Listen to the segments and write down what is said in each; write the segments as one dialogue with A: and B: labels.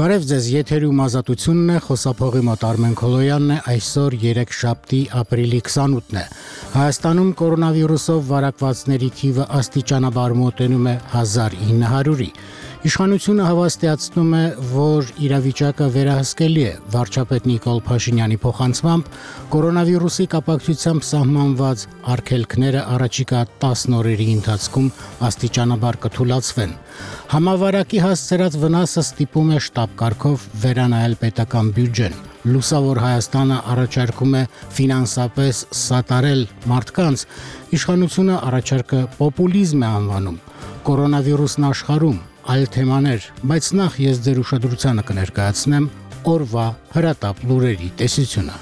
A: Բարև ձեզ, եթերում ազատությունն է, խոսափողի մոտ Արմեն Քոլոյանն է, այսօր երեքշաբթի ապրիլի 28-ն է։ Հայաստանում կորոնավիրուսով վարակվածների թիվը աստիճանաբար մոտենում է 1900-ի։ Իշխանությունը հավաստիացնում է, որ իրավիճակը վերահսկելի է։ Վարչապետ Նիկոլ Փաշինյանի փոխանցմամբ կորոնավիրուսի կապակցությամբ սահմանված արգելքները առաջիկա 10 օրերի ընթացքում աստիճանաբար կթուլացվեն։ Համավարակի հասցրած վնասը ստիպում է շտապ կարգով վերանայել պետական բյուջեն։ Լուսավոր Հայաստանը առաջարկում է ֆինանսապես սատարել մարդկանց, իշխանությունը առաջարկը պոպուլիզմ է անվանում։ Կորոնավիրուսն աշխարհում այլ թեմաներ, բայց նախ ես ձեր ուշադրությանը կներկայացնեմ օրվա հրատապ լուրերի տեսությունը։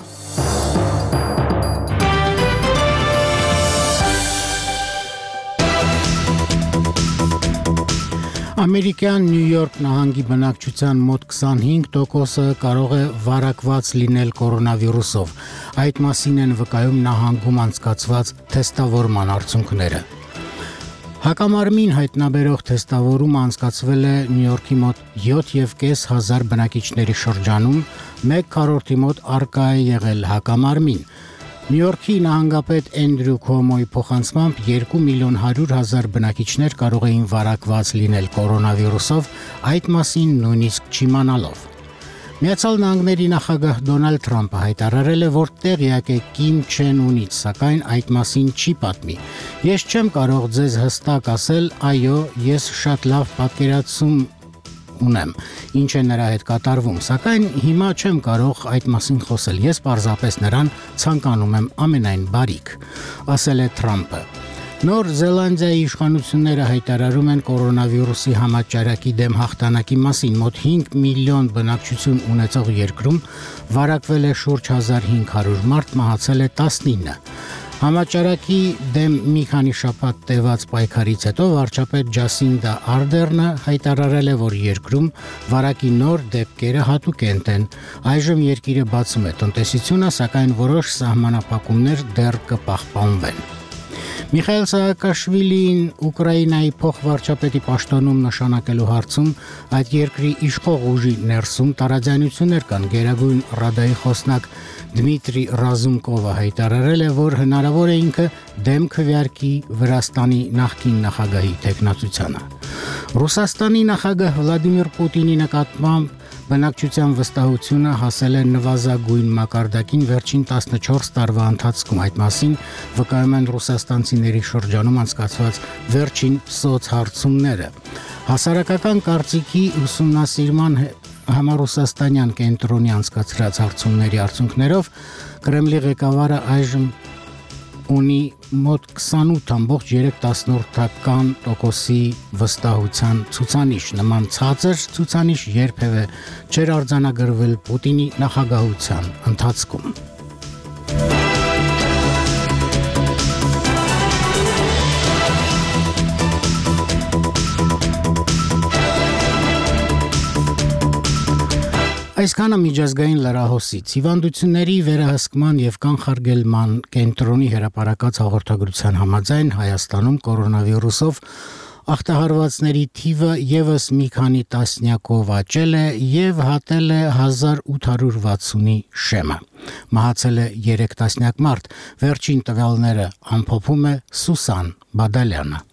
A: Ամերիկյան Նյու Յորք նահանգի բնակչության մոտ 25%-ը կարող է վարակված լինել կորոնավիրուսով։ Այդ մասին են վկայում նահանգում անցկացված թեստավորման արդյունքները։ Հակամարմին հայտնաբերող թեստավորումը անցկացվել է Նյու Յորքի մոտ 7,500 բնակիչների շրջանում, 1/4 մոտ առկա է եղել հակամարմին։ Նյու Յորքի նահանգապետ Էնդրյու Քոմոյի փոխանցմամբ 2,100,000 բնակիչներ կարող էին վարակված լինել կորոնավիրուսով, այդ մասին նույնիսկ չիմանալով։ Միացյալ Նահանգների նախագահ Դոնալդ Թրամփը հայտարարել է, որ տեղյակ է Կիմ Չեն Ունից, սակայն այդ մասին չի պատմի։ Ես չեմ կարող ձեզ հստակ ասել, այո, ես շատ լավ պատկերացում ունեմ, ինչ է նրա հետ կատարվում, սակայն հիմա չեմ կարող այդ մասին խոսել, ես պարզապես նրան ցանկանում եմ ամենայն բարիք, ասել է Թրամփը։ Նոր Զելանդիայի իշխանությունները հայտարարում են կորոնավիրուսի համաճարակի դեմ հաղթանակի մասին, մոտ 5 միլիոն բնակչություն ունեցող երկրում վարակվել է շուրջ 1500 մարդ, մահացել է 19։ Համաճարակի դեմ մի քանի շաբաթ տևած պայքարից հետո վարչապետ Ջասինդա Արդերնը հայտարարել է, որ երկրում վարակի նոր դեպքերը հատուկենտ են։ Այժմ երկիրը բացում է տնտեսությունը, սակայն որոշ սահմանափակումներ դեռ կպահպանվեն։ Միխայել Սահակաշվիլին Ուկրաինայի փոխվարչապետի պաշտոնում նշանակելու հարցում այդ երկրի իշխող ուժի ներսում տարաձայնություններ կան։ Գերագույն Ռադայի խոսնակ Դմիտրի Ռազումկովը հայտարարել է, որ հնարավոր է ինքը դեմ քվեարկի Վրաստանի նախկին նախագահի թեկնածությանը։ Ռուսաստանի նախագահ Վլադիմիր Պուտինի նկատմամբ բնակչության վստահությունը հասել է նվազագույն մակարդակին վերջին 14 տարվա ընթացքում։ Այդ մասին վկայում են ռուսաստանցիների շրջանում անցկացված վերջին սոցհարցումները։ Հասարակական կարծիքի ուսումնասիրման համառուսաստանյան կենտրոնի անցկացրած հարցումների արդյունքներով Կրեմլի ղեկավարը այժմ ունի մոտ 28,3% վստահության ցուցանիշ։ Նման ցածր ցուցանիշ երբևէ չէր արձանագրվել Պուտինի նախագահության ընթացքում։ Այսքանը միջազգային լրահոսից հիվանդությունների վերահսկման եւ կանխարգելման կենտրոնի հրապարակած հաղորդագրության համաձայն Հայաստանում կորոնավիրուսով ախտահարվածների թիվը եւս մի քանի տասնյակով աճել է եւ հատել է 1860-ի շեմը։ Մահացել է 3 տասնյակ մարդ, վերջին տվյալները ամփոփում է Սուսան Բադալյանը։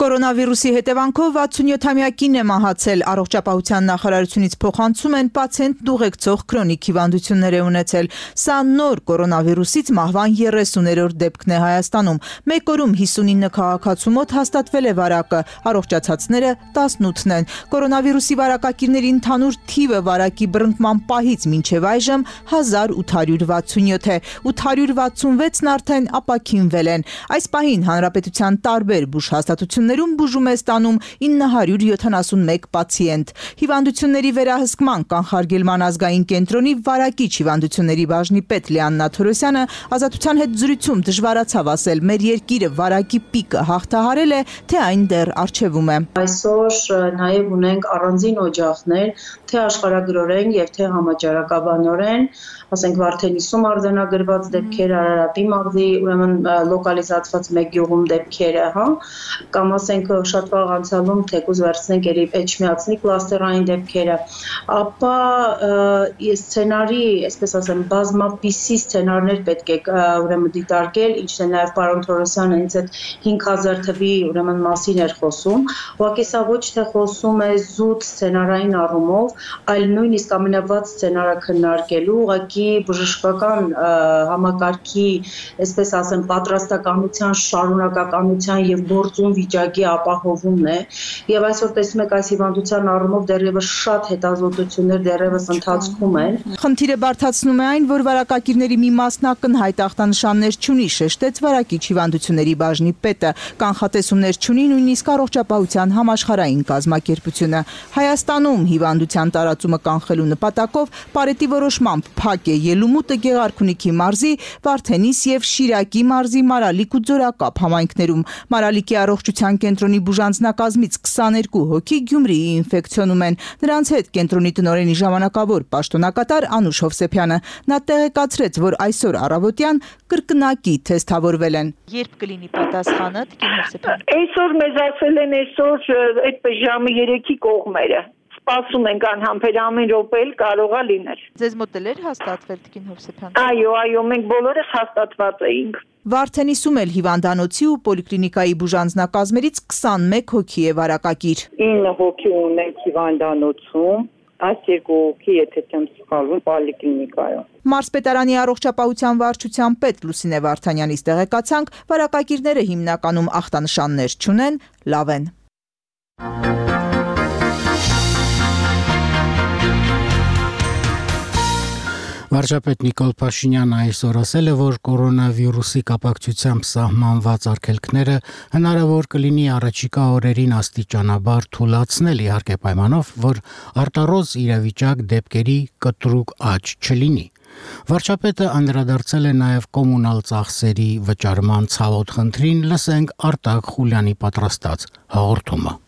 B: Կորոնավիրուսի հետևանքով 67-ամյակին է մահացել, առողջապահության նախարարությունից փոխանցում են պացիենտ ուղեկցող քրոնիկ հիվանդություններ է ունեցել։ Սա նոր կորոնավիրուսից մահվան 30-րդ դեպքն է Հայաստանում։ Մեկ օրում 59 քաղաքացու մոտ հաստատվել է վարակը, առողջացածները 18-ն են։ Կորոնավիրուսի վարակակիրների ընդհանուր թիվը վարակի բռնկման պահից մինչև այժմ 1867 է, 866-ն արդեն ապաքինվել են։ Այս պահին հանրապետության տարբեր բուժհաստատություններում բուժում է ստանում 971 պացիենտ։ Հիվանդությունների վերահսկման կանխարգելման ազգային կենտրոնի վարակիչ հիվանդությունների բաժնի պետ Լիաննա Թորոսյանը ազատության հետ զրույցում դժվարացավ ասել, մեր երկիրը վարակի պիկը հաղթահարել է, թե այն դեռ առջևում է։
C: Այսօր նաև ունենք առանձին օջախներ, թե աշխարհագրորեն եւ թե համաճարակաբանորեն, ասենք Վարդենիսում արձանագրված դեպքեր, Արարատի մաղձի, ուրեմն լոկալիզացված մեկ գյուղում դեպքերը, կամ ասենք շատ վաղ անցյալում թեկուզ վերցնենք երբ էջմիածնի կլաստերային դեպքերը, ապա սցենարի, այսպես ասեմ, բազմապիսի սցենարներ պետք է ուրեմն դիտարկել, ինչն է նաև պարոն Թորոսյանը հենց այդ 5000 թվի ուրեմն մասին էր խոսում, ուղղակի սա ոչ թե խոսում է զուտ սցենարային առումով, այլ նույնիսկ ամենավատ սցենարը քննարկելու, ուղղակի բժշկական համակարգի, այսպես ասեմ, պատրաստականության, շարունակականության եւ գործուն վիճակի ապահովումն է, եւ այսօր տեսնում եք այս հիվանդության առումով դեռևս շատ հետազոտություններ դեռևս ընթացքում են։
B: Խնդիրը բարդացնում է այն, որ վարակակիրների մի մասն ակնհայտ ախտանշաններ չունի, շեշտեց վարակիչ հիվանդությունների բաժնի պետը, կանխատեսումներ չունի նույնիսկ առողջապահության համաշխարհային կազմակերպությունը։ Հայաստանում հիվանդության տարածումը կանխելու նպատակով պարետի որոշմամբ փակ է Ելումուտը, Գեղարքունիքի մարզի, Վարդենիս եւ Շիրակի մարզի Մարալիկ ու Ձորակապ համայնքներում։ Մարալիկի առողջության կենտրոնի բուժանձնակազմից 22 հոգի Գյումրիի ինֆեկցիոնում են։ Նրանց հետ կենտրոնի տնօրենի ժամանակավոր պաշտոնակատար Անուշ Հովսեփյանը։ Նա տեղեկացրեց, որ այսօր առավոտյան կրկնակի թեստավորվել են։ Երբ կլինի պատասխանը, Տիկին Հովսեփյան։
D: Այսօր մեզ ասել են այդպես ժամը 3-ի կողմերը։ Սպասում ենք անհամբեր ամեն րոպե կարող է լինել։
B: Ձեզ մոտ էլ էր հաստատվել, Տիկին Հովսեփյան։
D: Այո, մենք բոլորս հաստատված էինք։
B: Վարդենիսում էլ հիվանդանոցի ու պոլիկլինիկայի բուժանձնակազմերից 21 հոգի է վարակակիր։
D: 9 հոգի ունենք հիվանդանոցում, այս 2 հոգի, եթե չեմ սխալվում, պոլիկլինիկայում։
B: Մարզպետարանի առողջապահության վարչության պետ Լուսինե Վարդանյանից տեղեկացանք, վարակակիրները հիմնականում ախտանշաններ չունեն, լավ են։
A: Վարչապետ Նիկոլ Փաշինյանը այսօր ասել է, որ կորոնավիրուսի կապակցությամբ սահմանված արգելքները հնարավոր կլինի առաջիկա օրերին աստիճանաբար թուլացնել, իհարկե պայմանով, որ արտառոց իրավիճակ դեպքերի կտրուկ աճ չլինի։ Վարչապետը անդրադարձել է նաև կոմունալ ծախսերի վճարման ցավոտ խնդրին, լսենք Արտակ Խուլյանի պատրաստած հաղորդումը։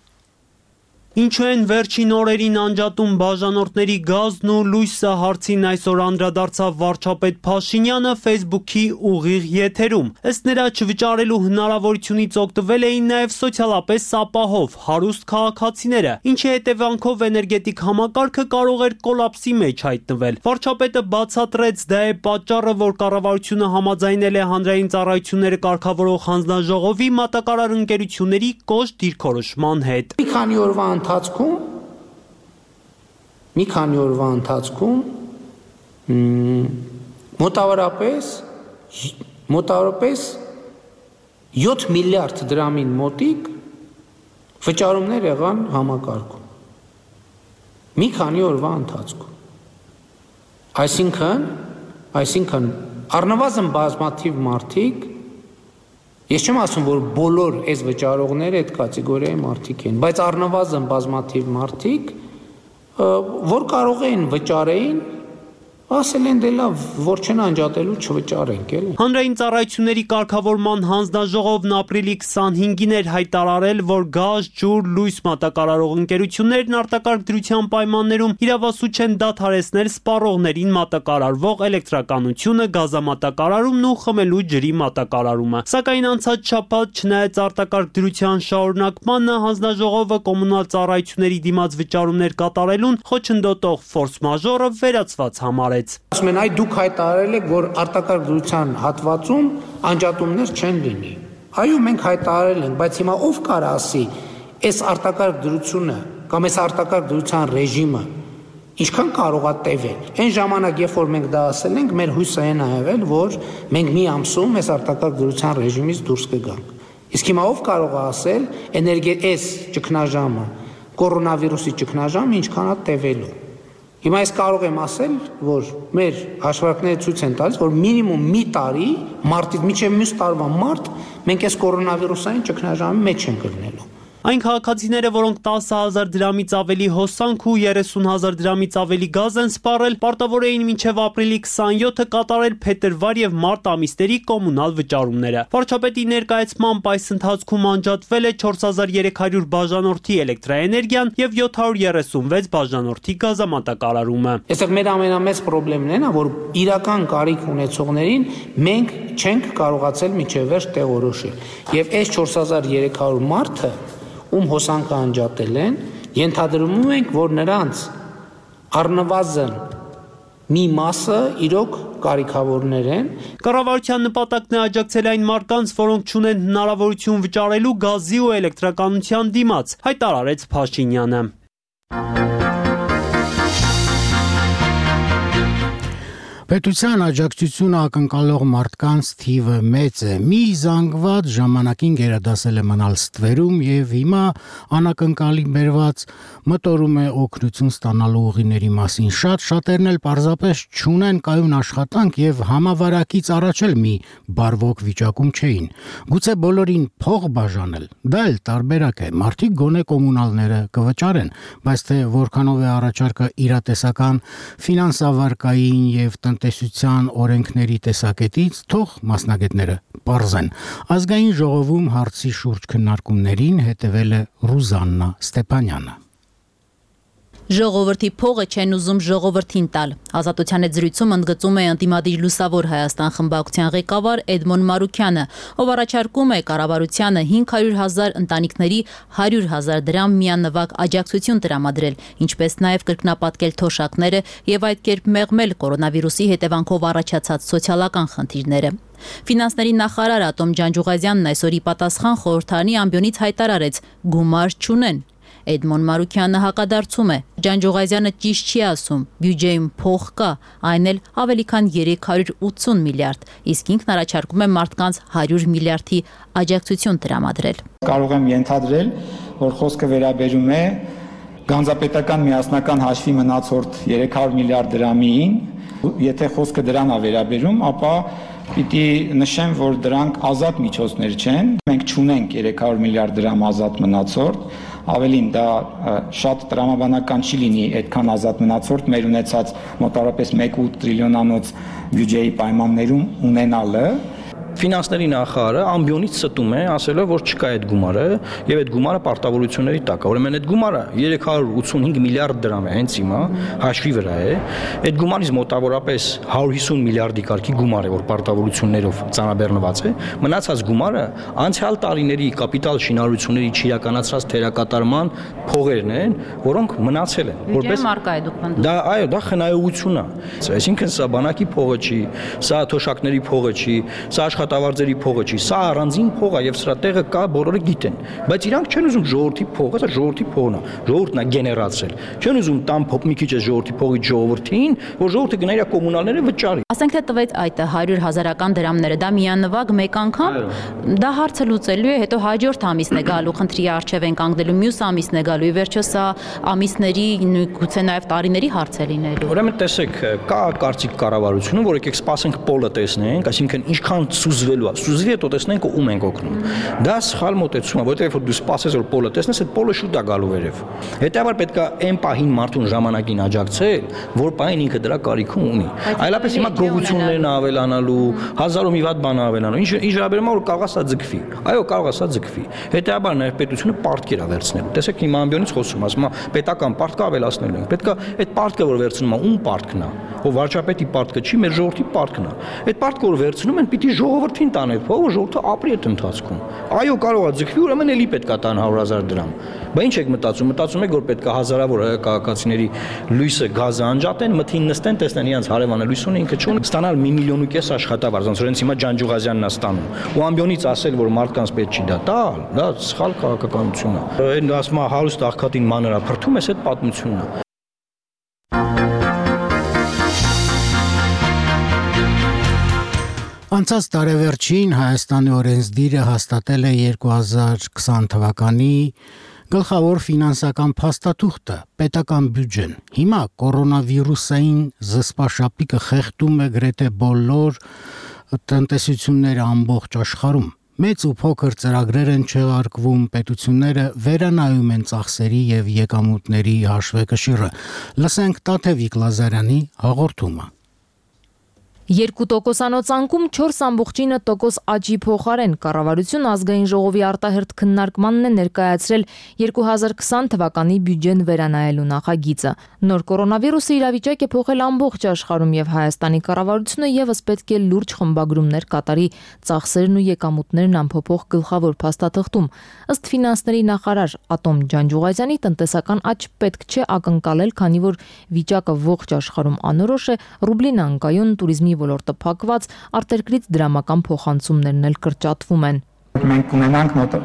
E: Ինչու են վերջին օրերին անջատում բաժանորդների գազն ու լույսը հարցին այսօր անդրադարձավ վարչապետ Փաշինյանը Facebook-ի ուղիղ եթերում։ Ըստ նրա չվճարելու հնարավորությունից օգտվել էին նաև սոցիալապես ապահով հարուստ քաղաքացիները, ինչի հետևանքով էներգետիկ համակարգը կարող էր կոլապսի մեջ հայտնվել։ Վարչապետը բացատրեց, դա է պատճառը, որ կառավարությունը համաձայնել է հանրային ծառայությունները կարգավորող հանձնաժողովի մատակարար ընկերությունների կոշտ դիրքորոշման հետ։
F: Մի քանի օրվա ընթացքում մոտավորապես 7 միլիարդ դրամին մոտիկ վճարումներ եղան համակարգում։ Մի քանի օրվա ընթացքում։ Այսինքն առնվազն բազմաթիվ մարդիկ, ես չեմ ասում, որ բոլոր այս վճարողները այդ կատեգորիայի մարդիկ են, բայց առնվազն բազմաթիվ մարդիկ, որ կարող էին վճարեին, ասել են դե լավ, որ չեն անջատելու չվճարենք, էլի։
E: Հանրային ծառայությունների կարգավորման հանձնաժողովն ապրիլի 25-ին էր հայտարարել, որ գազ, ջուր, լույս մատակարարող ընկերություններն արտակարգ դրության պայմաններում իրավասու չեն դադարեցնել սպառողներին մատակարարվող էլեկտրականությունը, գազամատակարարումն ու խմելու ջրի մատակարարումը։ Սակայն անցած շաբաթ, չնայած արտակարգ դրության շարունակմանը, հանձնաժողովը կոմունալ ծառայությունների դիմաց վճարումներ կատարելուն խոչընդոտող ֆորս մաժորը վերացված համարեց։
F: Ասում են, այ դուք հայտարարել եք, որ արտակարգ դրության հատվածում անջատումներ չեն լինի։ Այո, մենք հայտարարել ենք, բայց հիմա ով կարող ասի, այս արտակարգ դրությունը կամ այս արտակարգ դրության ռեժիմը ինչքան կարող է տևել։ Այն ժամանակ, երբ որ մենք դա ասել ենք, մեր հույսը այն է եղել, որ մենք մի ամսում այս արտակարգ դրության ռեժիմից դուրս կգանք։ Իսկ հիմա ով կարող է ասել, այս ճգնաժամը, կորոնավիրուսի ճգնաժամը ինչքան է տևելու։ Հիմա ես կարող եմ ասել, որ մեր հաշվարկները ցույց են տալիս, որ մինիմում մի տարի մարտից մինչև մյուս տարվա մարտ մենք այս կորոնավիրուսային ճգնաժամի մեջ ենք գտնելու։
E: Այն քաղաքացիները, որոնք 10,000 դրամից ավելի հոսանք ու 30,000 դրամից ավելի գազ են սպառել, պարտավոր էին մինչև ապրիլի 27-ը կատարել փետրվար եւ մարտ ամիսների կոմունալ վճարումները։ Վարչապետի ներկայացմամբ այս ընթացքում անջատվել է 4300 բաժանորդի էլեկտրաէներգիան եւ 736 բաժանորդի գազամատակարարումը։
F: Այստեղ մեր ամենամեծ խնդիրն է, որ իրական կարիք ունեցողներին մենք չենք կարողացել մինչև վերջ տեղորոշել։ Եվ այս 4300 մարդը ում հոսանքը անջատել են, ենթադրում ենք, որ նրանց առնվազն մի մասը իրոք կարիքավորներ են։
E: Կառավարության նպատակն է աջակցել այն մարդկանց, որոնք չունեն հնարավորություն վճարելու գազի ու էլեկտրականության դիմաց, հայտարարեց Փաշինյանը։
A: Պետության աջակցությունը ակնկալող մարդկանց թիվը մեծ է։ Մի զանգված ժամանակին գերադասել է մնալ ստվերում եւ հիմա անակնկալի բերված մտորում է օգնություն ստանալու ուղիների մասին։ Շատերն էլ պարզապես չունեն կայուն աշխատանք եւ համավարակից առաջ էլ մի բարվոք վիճակում չէին։ Գուցե բոլորին փող բաժանել։ Դա էլ տարբերակ է։ Մարդիկ գոնե կոմունալները կվճարեն, բայց թե որքանով է առաջարկը իրատեսական ֆինանսավարկային եւ տնտեսության օրենքների տեսակետից թող մասնագետները պարզեն։ Ազգային ժողովում հարցի շուրջ քննարկումներին հետևել է Ռուզաննա Ստեփանյանը։
G: Ժողովրդի փողը չեն ուզում ժողովրդին տալ։ Ազատության հետ զրույցում ընդգծում է Անդիմադիր Լուսավոր Հայաստան խմբակցության ղեկավար Էդմոն Մարուքյանը, ով առաջարկում է կառավարությանը 500,000 ընտանիքների 100,000 դրամ միանվագ աջակցություն տրամադրել, ինչպես նաև կրկնապատկել թոշակները եւ այդ կերպ մեղմել կորոնավիրուսի հետևանքով առաջացած սոցիալական խնդիրները։ Ֆինանսների նախարար Ատոմ Ջանջուղազյանն այսօր ի պատասխան խորհրդարանի ամբիոնից հայտարարեց՝ գումար չունեն։ Էդմոն Մարուքյանը հակադարձում է. Ջանջուղազյանը ճիշտ չի ասում, բյուջեում փող կա, այն էլ ավելի քան 380 միլիարդ, իսկ ինքն առաջարկում է մարդկանց 100 միլիարդի աջակցություն տրամադրել։
H: Կարող եմ ենթադրել, որ խոսքը վերաբերում է գանձապետական միասնական հաշվի մնացորդ 300 միլիարդ դրամին, եթե խոսքը դրան է վերաբերում, ապա պիտի նշեմ, որ դրանք ազատ միջոցներ չեն, մենք չունենք 300 միլիարդ դրամ ազատ մնացորդ, ավելին դա շատ տրամաբանական չի լինի այդքան ազատ մնացորդ մեր ունեցած մոտավորապես 1.8 տրիլիոնանոց բյուջեի պայմաններում ունենալը։
I: Ֆինանսների նախարարը ամբիոնից ստում է, ասելով, որ չկա այդ գումարը եւ այդ գումարը պարտավորությունների տակ է։ Ուրեմն այդ գումարը 385 միլիարդ դրամ է հենց հիմա հաշվի վրա է։ Այդ գումարից մոտավորապես 150 միլիարդի կարգի գումար է, որ պարտավորություններով ծանրաբեռնված է։ Մնացած գումարը անցյալ տարիների կապիտալ շինարարությունների չիրականացրած թերակատարման փողերն են, որոնք մնացել են։
G: Որպես մարկա է դուք պնդում։
I: Դա այո, դա խնայողություն է։ Այսինքն սա բանակի փողը չի, սա թոշակների փողը չի, սա աշխատավարձերի փողը չի, սա առանձին փող է եւ սրա տեղը կա, բոլորը գիտեն, բայց իրանք չեն ուզում ժողովրդի փողը, սա ժողովրդի փողն է, ժողովուրդն է գեներացրել, չեն ուզում տան մի քիչ է ժողովրդի փողից ժողովրդին, որ ժողովուրդը գնա իր կոմունալները վճարի։
G: Ասենք թե տվեց այդ 100,000-ական դրամները, դա միանվագ մեկ անգամ, դա հարցը լուծելու է, հետո հաջորդ ամիսն է գալու, խնդրի առջև են կանգնելու, մյուս ամիսն է գալու, ի վերջո սա ամիսների, գուցե նաեւ տարիների հարց է լինելու։
I: Ուրեմն տեսեք, կա կարծիք կառավարությունը, որ եկեք սպասենք պոլը տեսնենք, այսինքն ինչքան սուզվելու է, սուզվի հետո տեսնենք ում ենք օգնում։ Դա սխալ մոտեցում է, որովհետեւ որ դու սպասես որ պոլը տեսնես, այդ պոլը շուտ է գալու վերև։ Հետևաբար պետք է այն պահին մարդուն ժամանակին աջակցել, որ պահին ինքը դրա կարիքը ունի։ Այլապես հիմա գողություններն ավելանալու, հազարով մի վատ բան ավելանալու։ Ինչ վերաբերում է որ կարող է սա ձգվի։ Այո, կարող է սա ձգվի։ Հետևաբար նաև պետությունը պարտքեր է վերցնելու։ Տեսեք հիմա ամբիոնից խոսում, ասում է պետական պարտքը ավելացնելու ենք։ Պետք է այդ պարտքը որ վերցնում է, ում պարտքն է։ Որ վարչապետի պարտքը չի, մեր ժողովրդի պարտքն է։ Այդ պարտքը որ վերցնում են, պիտի ժողովրդին տանել փողը, ժողովուրդը ապրի այդ ընթացքում։ Այո, կարող է ձգվի, ուրեմն էլի պետք է տան 100,000 դրամ։ Բա ինչ եք մտածում։ Մտածում եք, որ պետք է հազարավոր քաղաքացիների լույսը գազը անջատեն, մթին նստեն, տեսնեն իրենց հարևանը լույս ունի, ինքը չունի, ստանալ 1,5 միլիոն աշխատավարձ, ոնց որ հենց հիմա Ջանջուղազյանն է ստանում։ Ու ամբիոնից ասել, որ մարդկանց պետք չի դա տալ, դա սխալ քաղաքականություն է։ Այն ասում է հարուստ աղքատին մանր է, փրթում ես այդ պատմությունն է։
A: Անցած տարեվերջին Հայաստանի օրենսդիրը հաստատել է 2020 թվականի գլխավոր ֆինանսական փաստաթուղթը՝ պետական բյուջեն։ Հիմա կորոնավիրուսային զսպաշապիկը խեղդում է գրեթե բոլոր տնտեսությունները ամբողջ աշխարհում։ Մեծ ու փոքր ծրագրեր են չեղարկվում, պետությունները վերանայում են ծախսերի եւ եկամուտների հաշվեկշիռը։ Լսենք Տաթևիկ Լազարյանի հաղորդումը։
J: 2% անկում 4.9% աճի փոխարեն կառավարություն ազգային ժողովի արտահերթ քննարկմանն է ներկայացրել 2020 թվականի բյուջեն վերանայելու նախագիծը։ Նոր կորոնավիրուսի իրավիճակ է փոխել ամբողջ աշխարհում եւ Հայաստանի կառավարությունը եւս պետք է լուրջ խմբագրումներ կատարի ծախսերն ու եկամուտներն անփոփոխ գլխավոր փաստաթղթում։ Ըստ ֆինանսների նախարար Ատոմ Ջանջուղազյանի տնտեսական աճ պետք չէ ակնկալել, քանի որ վիճակը ողջ աշխարհում անորոշ է, ռուբլին անկայուն, туриզմի ոլորտը փակված, արտերկրից դրամական փոխանցումներն էլ կրճատվում են։
H: Մենք կունենանք մոտ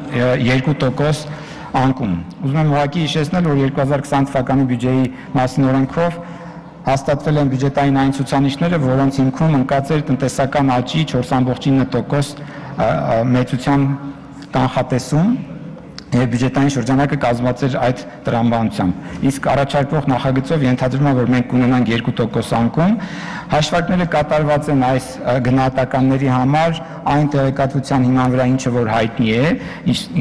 H: 2% անկում։ Ուզում եմ ուղղակի հիշեցնել, որ 2020 թվականի բյուջեի մասին օրենքով հաստատվել են բյուջետային այն ցուցանիշները, որոնց հիմքում ընկած էր տնտեսական աճի 4.9% մեծության կանխատեսում եւ բյուջետային շրջանակը կազմված էր այդ տրամաբանությամբ։ Իսկ առաջարկվող նախագծով ենթադրվում է, որ մենք կունենանք 2% անկում։ Հաշվարկները կատարված են այս գնահատականների համար այն տեղեկատվության հիման վրա, ինչը որ հայտնի է,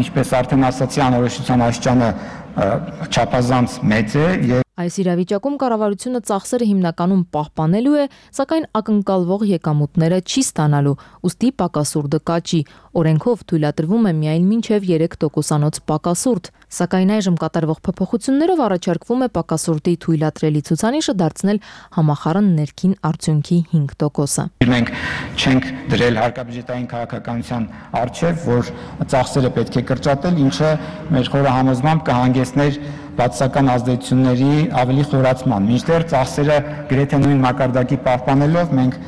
H: ինչպես արդեն ասացի, անորոշության աստիճանը չափազանց մեծ է եւ
J: Այս իրավիճակում կառավարությունը ծախսերը հիմնականում պահպանելու է, սակայն ակնկալվող եկամուտները չի ստանալու, ուստի պակասուրդը կաճի։ Օրենքով թույլատրվում է միայն մինչև 3%-անոց պակասուրդ, սակայն այժմ կատարվող փոփոխություններով առաջարկվում է պակասուրդի թույլատրելի ցուցանիշը դարձնել համախառն ներքին արդյունքի 5%-ը։
H: Մենք չենք դրել հարկաբյուջետային քաղաքականության առջև, որ ծախսերը պետք է կրճատել, ինչը մեր խորը համոզմամբ կհանգեցներ բացասական ազդեցությունների ավելի խորացման։ Մինչդեռ ծախսերը գրեթե նույն մակարդակի պահպանելով մենք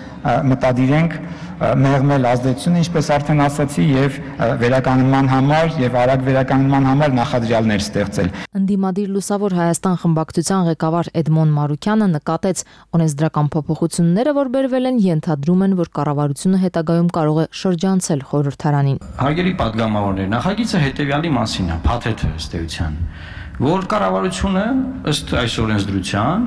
H: մտադիր ենք մեղմել ազդեցությունը, ինչպես արդեն ասացի, եւ վերականգնման համար եւ արագ վերականգնման համար նախադրյալներ ստեղծել։
J: Ընդդիմադիր Լուսավոր Հայաստան խմբակցության ղեկավար Էդմոն Մարուկյանը նկատեց, օրենսդրական փոփոխությունները, որ բերվել են, ենթադրում են, որ կառավարությունը հետագայում կարող է շրջանցել խորհրդարանին։
I: Հարգելի падգամավորներ, նախագիծը հետեւյալի մասին է, փաթեթը ըստ էության, որ կառավարությունը ըստ այս օրենսդրության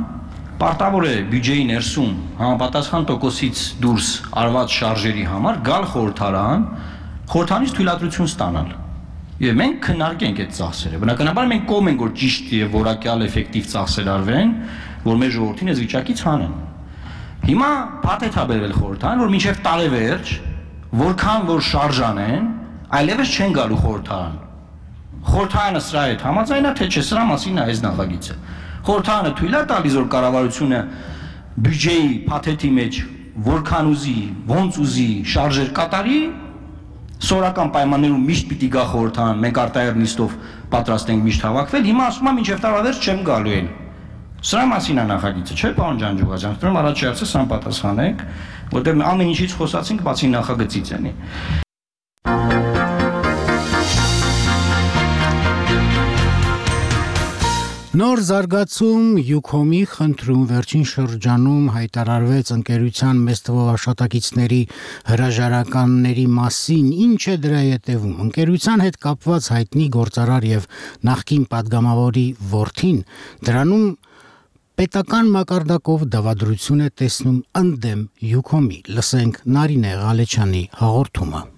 I: պարտավոր է բյուջեի ներսում համապատասխան տոկոսից դուրս արված շարժերի համար գալ խորհրդարանից թույլատրություն ստանալ։ Եվ մենք քննարկենք այդ ծախսերը։ Բնականաբար մենք կողմ ենք, որ ճիշտ եւ որակյալ էֆեկտիվ ծախսեր արվեն, որ մեր ժողովրդին այս վիճակից հանեն։ Հիմա փաթեթ է բերվել խորհրդարան, որ մինչև տարեվերջ որքան որ շարժան են, այլևս չեն գալու խորհրդարան։ Խորհրդարանը սրա հետ համաձայն է, թե չէ, սրա մասին է այս նախագիծը։ Խորհրդարանը թույլ է տալիս, որ կառավարությունը բյուջեի փաթեթի մեջ որքան ուզի, ոնց ուզի շարժեր կատարի, սորական պայմաններում միշտ պիտի գա խորհրդարան, մենք արտահերթ նիստով պատրաստ ենք միշտ հավաքվել, հիմա ասում եմ մինչև տարեվերջ չեմ գալու էլ։ Սրա մասին է նախագիծը, չէ՞, պարոն Ջանջուղազյան, ուրեմն առաջի հարցը սան պատասխանեք, որտեղ ամեն ինչից խոսացինք, բացի նախագծից էնի։
A: Նոր զարգացում Յուքոմի խնդրում վերջին շրջանում հայտարարվեց ընկերության մեծ թվով աշխատակիցների հրաժարականների մասին, ինչ է դրա ետևում։ Ընկերության հետ կապված հայտնի գործարար եւ նախկին падգամավորի որդին դրանում պետական մակարդակով դավադրություն է տեսնում ընդդեմ Յուքոմի։ Լսենք Նարինե Ղալեչյանի հաղորդումը։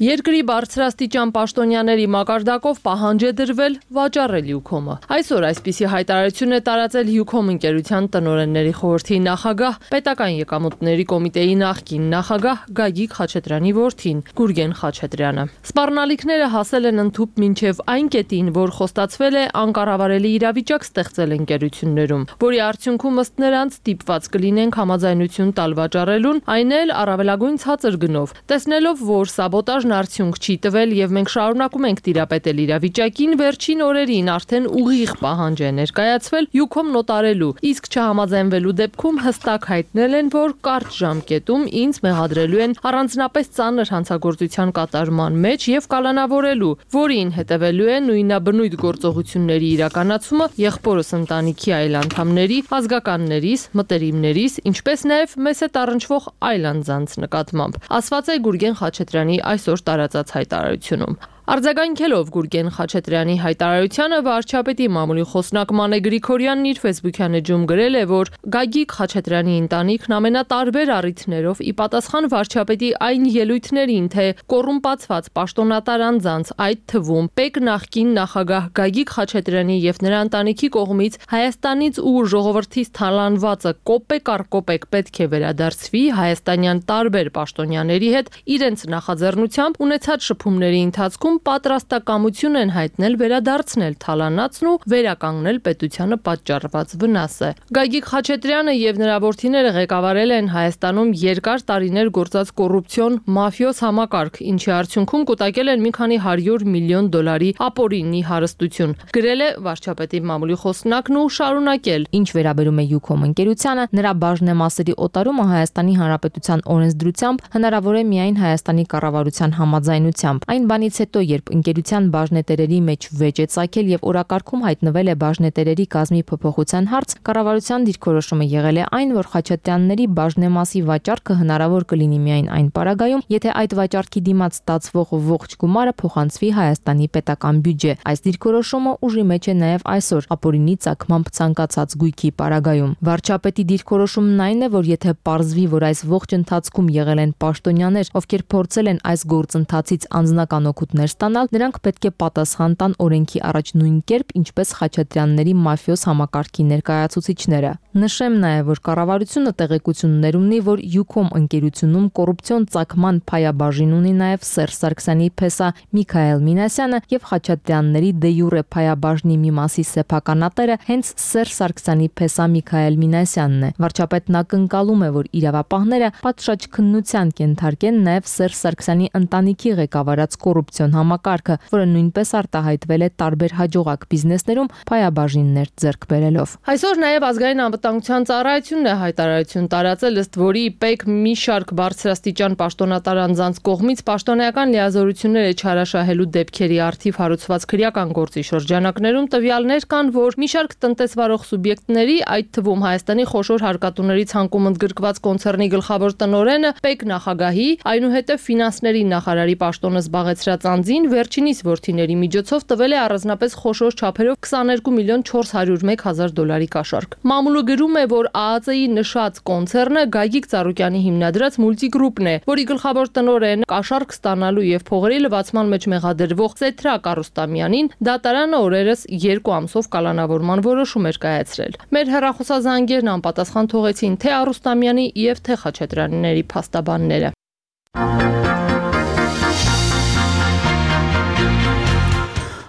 K: Երկրի բարձրաստիճան պաշտոնյաների մակարդակով պահանջ է դրվել վաճառել Յուքոմը։ Այսօր այսպիսի հայտարարություն է տարածել Յուքոմ ընկերության տնօրենների խորհրդի նախագահ, պետական եկամուտների կոմիտեի նախկին նախագահ Գագիկ Խաչատրյանի որդին Գուրգեն Խաչատրյանը։ Սպառնալիքները հասել են ընդհուպ մինչև այն կետին, որ խոստացվել է անկառավարելի իրավիճակ ստեղծել ընկերություններում, որի արդյունքում ըստ նրանց ստիպված կլինենք համաձայնություն տալ վաճառելուն, այն էլ առավելագույն ցածր գնով, տեսնելով, որ սաբոտաժ արդյունք չի տվել եւ մենք շարունակում ենք տիրապետել իրավիճակին, վերջին օրերին արդեն ուղիղ պահանջ է ներկայացվել Յուքոմ նոտարելու, իսկ չհամաձայնվելու դեպքում հստակ հայտնել են, որ կարճ ժամկետում ինձ մեղադրելու են առանձնապես ծանր հանցագործության կատարման մեջ եւ կալանավորելու, որին հետևելու է նույնաբնույթ գործողությունների իրականացումը եղբորս ընտանիքի այլ անդամների, ազգականներիս, մտերիմներիս, ինչպես նաեւ մեզ հետ առնչվող այլ անձանց նկատմամբ, ասված է Գուրգեն Խաչատրյանի այսօր տարածած հայտարարությունում։ Արձագանքելով Գուրգեն Խաչատրյանի հայտարարությանը վարչապետի մամուլի խոսնակ Մանե Գրիգորյանն իր Facebook-յան էջում գրել է, որ Գագիկ Խաչատրյանի ընտանիքն ամենատարբեր առիթներով ի պատասխան վարչապետի այն ելույթներին, թե կոռումպացված պաշտոնատար անձանց, այդ թվում ՊԵԿ նախկին նախագահ Գագիկ Խաչատրյանի եւ նրա ընտանիքի կողմից Հայաստանից ու ժողովրդից թալանվածը կոպեկ առ կոպեկ պետք է վերադարձվի հայաստանյան տարբեր պաշտոնյաների հետ իրենց նախաձեռնությամբ ունեցած շփումների ընթացքում պատրաստակամություն են հայտնել վերադարձնել թալանածն ու վերականգնել պետությանը պատճառված վնասը։ Գագիկ Խաչատրյանը եւ նրա որդիները ղեկավարել են Հայաստանում երկար տարիներ գործած կոռուպցիոն մաֆիոզ համակարգ, ինչի արդյունքում կուտակել են մի քանի 100 միլիոն դոլարի ապօրինի հարստություն։ Գրել է վարչապետի մամուլի խոսնակն ու շարունակել.
J: Ինչ վերաբերում է Յուքոմ ընկերությանը, նրա բաժնեմասերի օտարումը Հայաստանի Հանրապետության օրենսդրությամբ հնարավոր է միայն Հայաստանի կառավարության համաձայնությամբ։ Այն բանից հետո, երբ ընկերության բաժնետերերի մեջ վեճ է ծագել եւ օրակարգում հայտնվել է բաժնետերերի կազմի փոփոխության հարց, կառավարության դիրքորոշումը եղել է այն, որ Խաչատրյանների բաժնեմասի վաճառքը հնարավոր կլինի միայն այն պարագայում, եթե այդ վաճառքի դիմաց ստացվող ողջ գումարը փոխանցվի Հայաստանի պետական բյուջե։ Այս դիրքորոշումը ուժի մեջ է նաեւ այսօր ապօրինի ծագմամբ ցանկացած գույքի պարագայում։ Վարչապետի դիրքորոշումն այն է, որ եթե պարզվի, որ այս ողջ ընթացքում եղել են պաշտոնյաներ, ովքեր փորձել են այս գործընթացից անձնական օգուտներ ստանալ, նրանք պետք է պատասխան տան օրենքի առաջ նույն կերպ, ինչպես Խաչատրյանների մաֆիոզ համակարգի ներկայացուցիչները։ Նշեմ նաև, որ կառավարությունը տեղեկություններ ունի, որ Յուքոմ ընկերությունում կոռուպցիոն ծագման փայաբաժին ունի նաև Սերժ Սարգսյանի փեսա Միքայել Մինասյանը եւ Խաչատրյանների դե յուրե փայաբաժնի մի մասի սեփականատերը հենց Սերժ Սարգսյանի փեսա Միքայել Մինասյանն է։ Վարչապետն ակնկալում է, որ իրավապահները պատշաճ քննության կենթարկեն նաև Սերժ Սարգսյանի ընտանիքի ղեկավարած կոռուպցիոն համակարգը, որը նույնպես արտահայտվել է տարբեր հաջողակ բիզնեսներում փայաբաժիններ ձեռք բերելով։
K: Այսօր նաև ազգային անվտանգության ծառայությունն է հայտարարություն տարածել, ըստ որի ՊԵԿ մի շարք բարձրաստիճան պաշտոնատար անձանց կողմից պաշտոնական լիազորությունները չարաշահելու դեպքերի առթիվ հարուցված քրեական գործի շրջանակներում տվյալներ կան, որ մի շարք տնտեսվարող սուբյեկտների, այդ թվում Հայաստանի խոշոր հարկատուների ցանկում ընդգրկված կոնցեռնի գլխավոր տնօրենը, ՊԵԿ նախագահի, այնուհետև ֆինանսների նախարարի պաշտոնը զբաղեցրած անձին վերջինիս որդիների միջոցով տվել է առանձնապես խոշոր չափերով 22 միլիոն 401 հազար դոլարի կաշառք։ Մամուլը գրում է, որ ԱԱԾ-ի նշած կոնցեռնը Գագիկ Ծառուկյանի հիմնադրած մուլտիգրուպն է, որի գլխավոր տնօրեն կաշառք ստանալու եւ փողերի լվացման մեջ մեղադրվող Սեթրակ Արուստամյանին դատարանը օրերս 2 ամսով կալանավորման որոշում էր կայացրել։ Մեր հեռախոսազանգերն անպատասխան թողեցին թե Արուստամյանի եւ թե Խաչատրյանների փաստաբանները։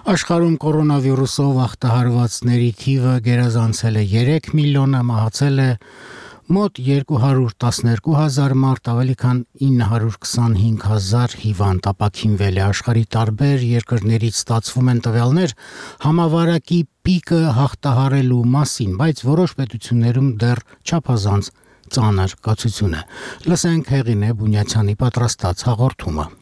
A: Աշխարհում կորոնավիրուսով ախտահարվածների թիվը գերազանցել է 3 միլիոնը, մահացել է մոտ 212,000 մարդ, ավելի քան 925,000 հիվանդ ապաքինվել է։ Աշխարհի տարբեր երկրներից ստացվում են տվյալներ համավարակի պիկը հաղթահարելու մասին, բայց որոշ պետություններում դեռ չափազանց ծանր կացություն է։ Լսենք Հեղինե Բունյացյանի պատրաստած հաղորդումը։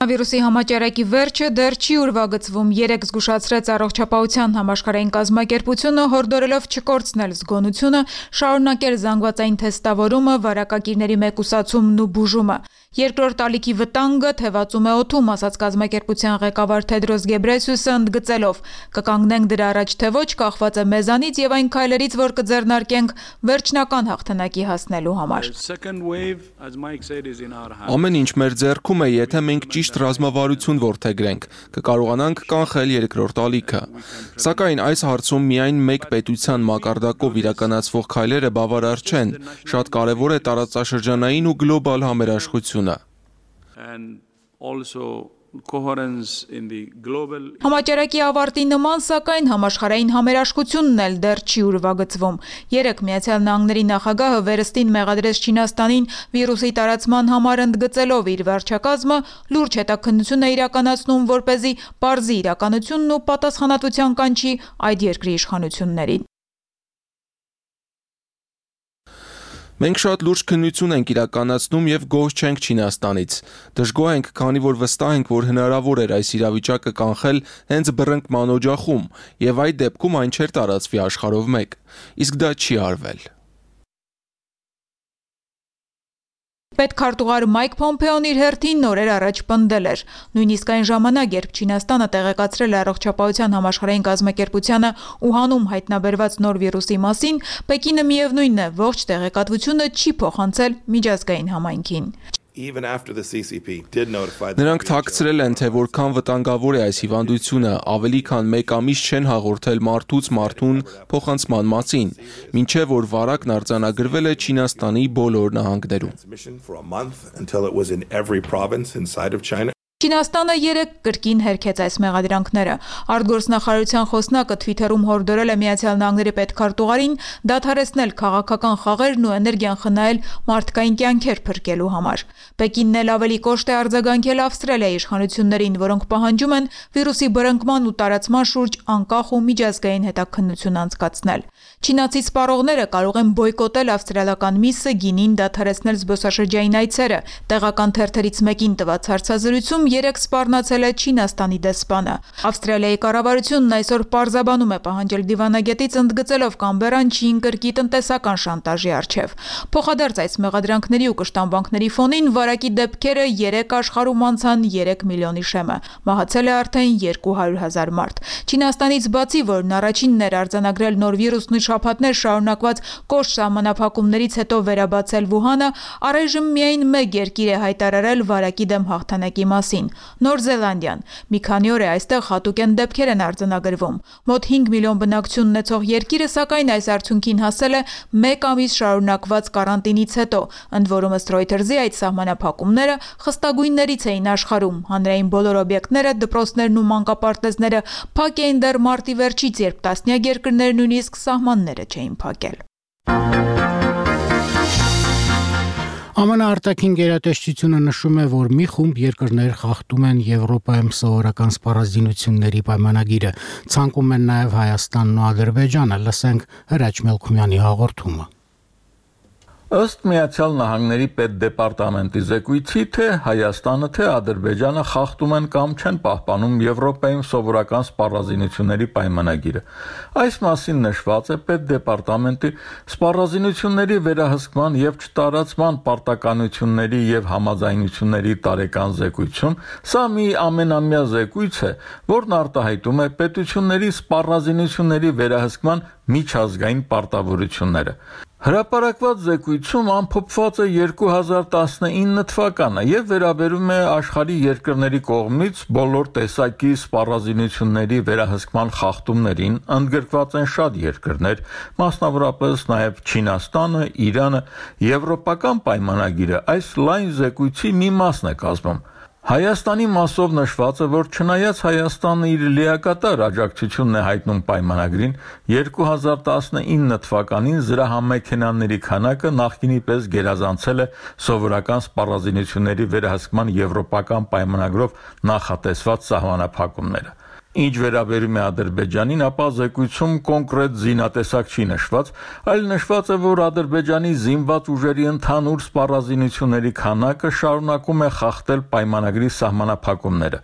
L: Վիրուսի համաճարակի վերջը դեռ չի ուրվագծվում, երեկ զգուշացրեց Առողջապահության համաշխարհային կազմակերպությունը, հորդորելով չկորցնել զգոնությունը, շարունակել զանգվածային թեստավորումը, վարակակիրների մեկուսացումն ու բուժումը։ Երկրորդ ալիքի վտանգը թևածում է օդում, ասաց կազմակերպության ղեկավար Թեդրոս Գեբրեյեսուսը ընդգծելով. «Կկանգնենք դրա առաջ թե ոչ, կախված է մեզանից եւ այն քայլերից, որ կձեռնարկենք վերջնական հաղթանակի հասնելու համար»։
M: Ամեն ինչ մեր ձեռքում է, եթե մենք ճիշտ ռազմավարություն որդեգրենք, կկարողանանք կանխել երկրորդ ալիքը։ Սակայն այս հարցում միայն մեկ պետության մակարդակով իրականացվող քայլերը բավարար չեն։ Շատ կարևոր է տարածաշրջանային ու գլոբալ համերաշխությունը։
L: Համաճարակի ավարտի նման, սակայն համաշխարհային համերաշխությունն էլ դեռ չի ուրվագծվում։ Երեկ Միացյալ Նահանգների նախագահը վերստին մեղադրեց Չինաստանին վիրուսի տարածման համար, ընդգծելով իր վարչակազմը լուրջ հետաքննություն է իրականացնում, որպեսզի պարզի իրականությունն ու պատասխանատվության կանչի այդ երկրի իշխանություններին։
M: Մենք շատ լուրջ քննություն ենք իրականացնում եւ գոհ չենք Չինաստանից։ Դժգոհ ենք, քանի որ վստահ ենք, որ հնարավոր էր այս իրավիճակը կանխել հենց բռնկման օջախում, եւ այդ դեպքում այն չէր տարածվի աշխարհով մեկ։ Իսկ դա չի արվել։
L: Պետքարտուղար Մայք Փոմփեոն իր հերթին նորեր առաջ պնդել էր. նույնիսկ այն ժամանակ, երբ Չինաստանը տեղեկացրել է Առողջապահության համաշխարհային կազմակերպությանը Ուհանում հայտնաբերված նոր վիրուսի մասին, Պեկինը միևնույնն է, ողջ տեղեկատվությունը չի փոխանցել միջազգային համայնքին։
M: Նրանք թաքցրել են, թե որքան վտանգավոր է այս հիվանդությունը, ավելի քան 1 ամիս չեն հաղորդել մարդուց մարդուն փոխանցման մասին, մինչև որ վարակն արձանագրվել է Չինաստանի բոլոր նահանգներում։
L: Չինաստանը 3 կրկին հերքեց այս մեղադրանքները։ Արտգործնախարարության խոսնակը Twitter-ում հորդորել է Միացյալ Նահանգների պետքարտուղարին դադարեցնել քաղաքական խաղերն ու էներգիան խնայել մարդկային կյանքեր փրկելու համար։ Պեկինն էլ ավելի կոշտ է արձագանքել Ավստրալիայի իշխանություններին, որոնք պահանջում են վիրուսի բռնկման ու տարածման շուրջ անկախ ու միջազգային հետաքննություն անցկացնել։ Չինացի սպառողները կարող են բոյկոտել ավստրալիական միսը, գինին, դադարեցնել զբոսաշրջային այցերը։ Տեղական թերթերից մեկին տված հարցազրույցում 3 սպառնացել է Չինաստանի դեսպանը։ Ավստրալիայի կառավարությունն այսօր պարզաբանում է պահանջել դիվանագետից ընդգծելով Կամբերան չի ընկրկի տնտեսական շանտաժի առջև։ Փոխադարձ այս մեղադրանքների ու կշտամբանքների ֆոնին վարակի դեպքերը 3 աշխարհում անցան 3 միլիոնի շեմը։ Մահացել է արդեն 200,000 մարդ։ Չինաստանից բացի, որն առաջինն էր արձանագրել նոր վիրուսն ու շաբաթներ շարունակված կոշտ սահմանափակումներից հետո վերաբացել Վուհանը, առայժմ միայն 1 երկիր է հայտարարել վարակի դեմ հաղթանակի մասին։ Նոր Զելանդիան։ Մի քանի օր է այստեղ հատուկեն դեպքեր են արձանագրվում։ Մոտ 5 միլիոն բնակչություն ունեցող երկիրը սակայն այս արդյունքին հասել է 1 ամիս շարունակված կարանտինից հետո, ընդ որում ըստ Reuters-ի այդ սահմանափակումները խստագույններից էին աշխարհում։ Հանրային բոլոր օբյեկտները, դպրոցներն ու մանկապարտեզները փակ էին դեռ մարտի վերջից, երբ տասնյակ երկրներ նույնիսկ սահմանները չէին փակել։
A: ԱՄՆ արտաքին գերատեսչությունը նշում է, որ մի խումբ երկրներ խախտում են Եվրոպայում սովորական սպառազինությունների պայմանագիրը, ցանկում են նաև Հայաստանն ու Ադրբեջանը, լսենք Հրաչ Մելքումյանի հաղորդումը։
N: Ըստ Միացյալ Նահանգների պետդեպարտամենտի զեկույցի, թե Հայաստանը, թե Ադրբեջանը խախտում են կամ չեն պահպանում Եվրոպայում սովորական սպառազինությունների պայմանագիրը։ Այս մասին նշված է պետդեպարտամենտի սպառազինությունների վերահսկման և չտարածման պարտականությունների և համաձայնությունների տարեկան զեկույցում։ Սա մի ամենամյա զեկույց է, որն արտահայտում է պետությունների սպառազինությունների վերահսկման միջազգային պարտավորությունները։ Հրապարակված զեկույցում ամփոփված է 2019 թվականը և վերաբերում է աշխարհի երկրների կողմից բոլոր տեսակի սպառազինությունների վերահսկման խախտումներին, ընդգրկված են շատ երկրներ, մասնավորապես նաև Չինաստանը, Իրանը, Եվրոպական պայմանագիրը այս լայն զեկույցի մի մասն է կազմում։ Հայաստանի մասով նշված է, որ չնայած Հայաստանը իր լիակատար աջակցությունն է հայտնում պայմանագրին, 2019 թվականին զրահամեքենաների քանակը նախկինի պես գերազանցել է սովորական սպառազինությունների վերահսկման եվրոպական պայմանագրով նախատեսված սահմանափակումները։ Ինչ վերաբերում է Ադրբեջանին, ապա զեկույցում կոնկրետ զինատեսակ չի նշված, այլ նշված է, որ Ադրբեջանի զինված ուժերի ընդհանուր սպառազինությունների քանակը շարունակում է խախտել պայմանագրի սահմանափակումները։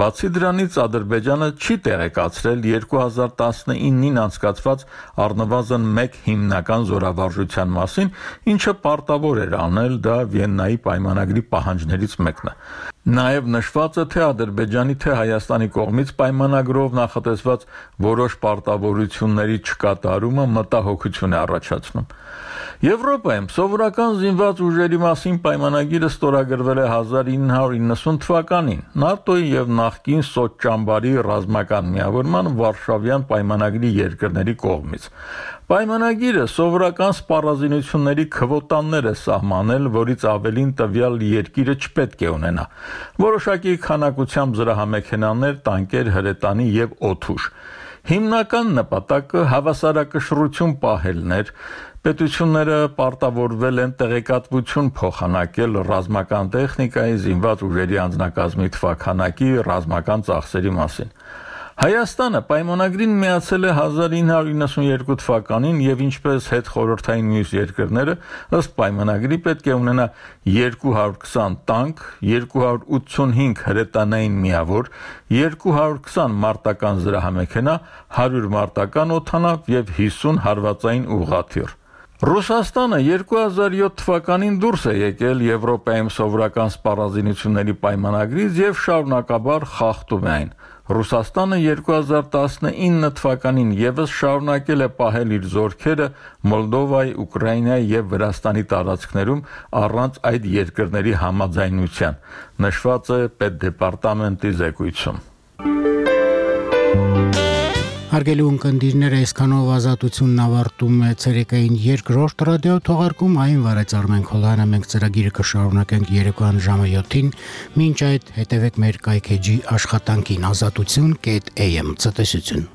N: Բացի դրանից, Ադրբեջանը չի տեղեկացրել 2019-ին անցկացված առնվազն 1 հիմնական զորավարժության մասին, ինչը պարտավոր էր անել, դա Վիեննայի պայմանագրի պահանջներից մեկն է։ Նաև նշված է, թե Ադրբեջանի, թե Հայաստանի կողմից պայմանագրով նախատեսված որոշ պարտավորությունների չկատարումը մտահոգություն է առաջացնում։ Եվրոպայում սովորական զինված ուժերի մասին պայմանագիրը ստորագրվել է 1990 թվականին ՆԱՏՕ-ի և նախկին Սոծճամբարի ռազմական միավորման Վարշավյան պայմանագրի երկրների կողմից։ Պայմանագիրը սովորական սպառազինությունների քվոտաներ է սահմանել, որից ավելին տվյալ երկիրը չպետք է ունենա։ Որոշակի քանակությամբ զրահամեքենաներ, տանկեր, հրետանի և օդուժ։ Հիմնական նպատակը հավասարակշռություն պահելն էր։ Պետությունները պարտավորվել են տեղեկատվություն փոխանակել ռազմական տեխնիկայի, զինված ուժերի անձնակազմի թվաքանակի, ռազմական ծախսերի մասին։ Հայաստանը պայմանագրին միացել է 1992 թվականին և ինչպես հետխորհրդային մյուս երկրները, ըստ պայմանագրի պետք է ունենա 220 տանկ, 285 հրետանային միավոր, 220 մարտական զրահամեքենա, 100 մարտական օդանավ և 50 հարվածային ուղղաթիռ։ Ռուսաստանը 2007 թվականին դուրս է եկել Եվրոպայում սովորական սպառազինությունների պայմանագրից եւ շարունակաբար խախտում է այն։ Ռուսաստանը 2019 թվականին եւս շարունակել է պահել իր զորքերը Մոլդովայի, Ուկրաինայի եւ Վրաստանի տարածքներում առանց այդ երկրների համաձայնության, նշված է Պետդեպարտամենտի զեկույցում։
A: Հարգելի ունկնդիրներ, այսքանով ազատությունն ավարտում է ցերեկային երկրորդ ռադիո թողարկում, այն վարեց Արմեն Քոլյանը, մենք ծրագիրը կշարունակենք երեկոյան ժամը 7-ին, մինչ այդ հետևեք մեր կայքեջի աշխատանքին ազատություն.am ցտեսություն։